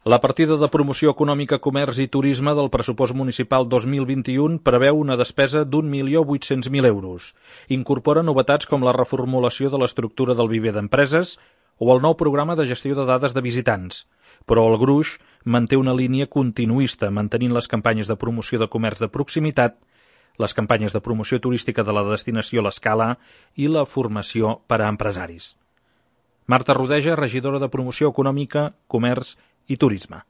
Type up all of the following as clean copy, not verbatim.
La partida de promoció econòmica, comerç i turisme del pressupost municipal 2021 preveu una despesa d'1.800.000 euros. Incorpora novetats com la reformulació de l'estructura del viver d'empreses o el nou programa de gestió de dades de visitants. Però el gruix manté una línia continuista, mantenint les campanyes de promoció de comerç de proximitat, les campanyes de promoció turística de la destinació L'Escala i la formació per a empresaris. Marta Rodeja, regidora de Promoció Econòmica, Comerç i Turisme.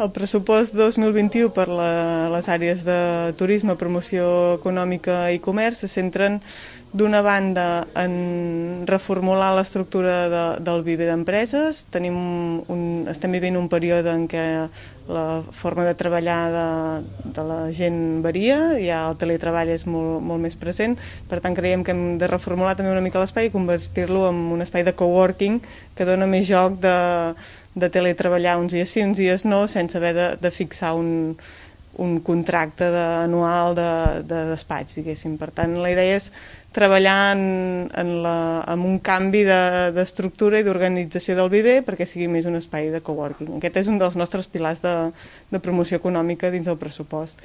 El pressupost 2021 per les àrees de turisme, promoció econòmica i comerç se centren d'una banda en reformular l'estructura del viver d'empreses. Estem vivint un període en què la forma de treballar de la gent varia, ja el teletreball és molt més present, per tant creiem que hem de reformular també una mica l'espai i convertir-lo en un espai de coworking que dona més joc de teletreballar uns dies sí, uns dies no, sense haver de fixar un contracte anual de despatx, diguéssim. Per tant, la idea és treballar en un canvi d'estructura i d'organització del viver perquè sigui més un espai de coworking. Aquest és un dels nostres pilars de promoció econòmica dins del pressupost.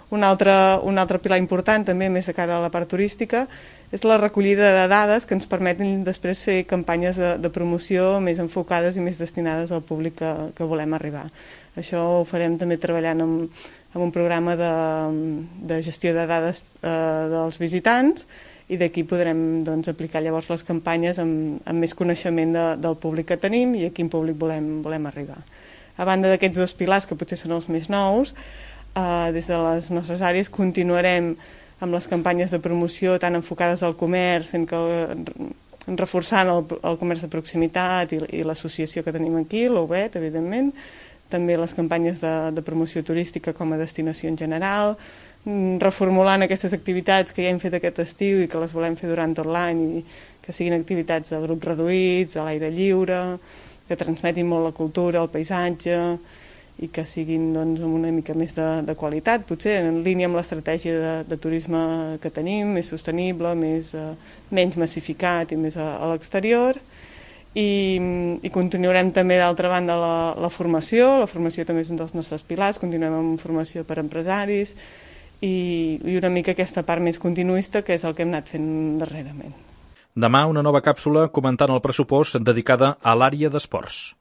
Un altre pilar important, també més de cara a la part turística, és la recollida de dades que ens permeten després fer campanyes de promoció més enfocades i més destinades al públic que volem arribar. Això ho farem també treballant amb un programa de gestió de dades dels visitants i d'aquí podrem aplicar llavors les campanyes amb més coneixement del públic que tenim i a quin públic volem arribar. A banda d'aquests dos pilars, que potser són els més nous, des de les nostres àrees continuarem amb les campanyes de promoció tan enfocades al comerç, reforçant el comerç de proximitat i l'associació que tenim aquí, l'UBET, evidentment, també les campanyes de promoció turística com a destinació en general, reformulant aquestes activitats que ja hem fet aquest estiu i que les volem fer durant tot l'any i que siguin activitats de grups reduïts, a l'aire lliure, que transmetin molt la cultura, el paisatge i que siguin amb una mica més de qualitat, potser en línia amb l'estratègia de turisme que tenim, més sostenible, menys massificat i més a l'exterior. I continuarem també d'altra banda la formació també és un dels nostres pilars, continuem amb formació per a empresaris i una mica aquesta part més continuista que és el que hem anat fent darrerament. Demà una nova càpsula comentant el pressupost dedicada a l'àrea d'esports.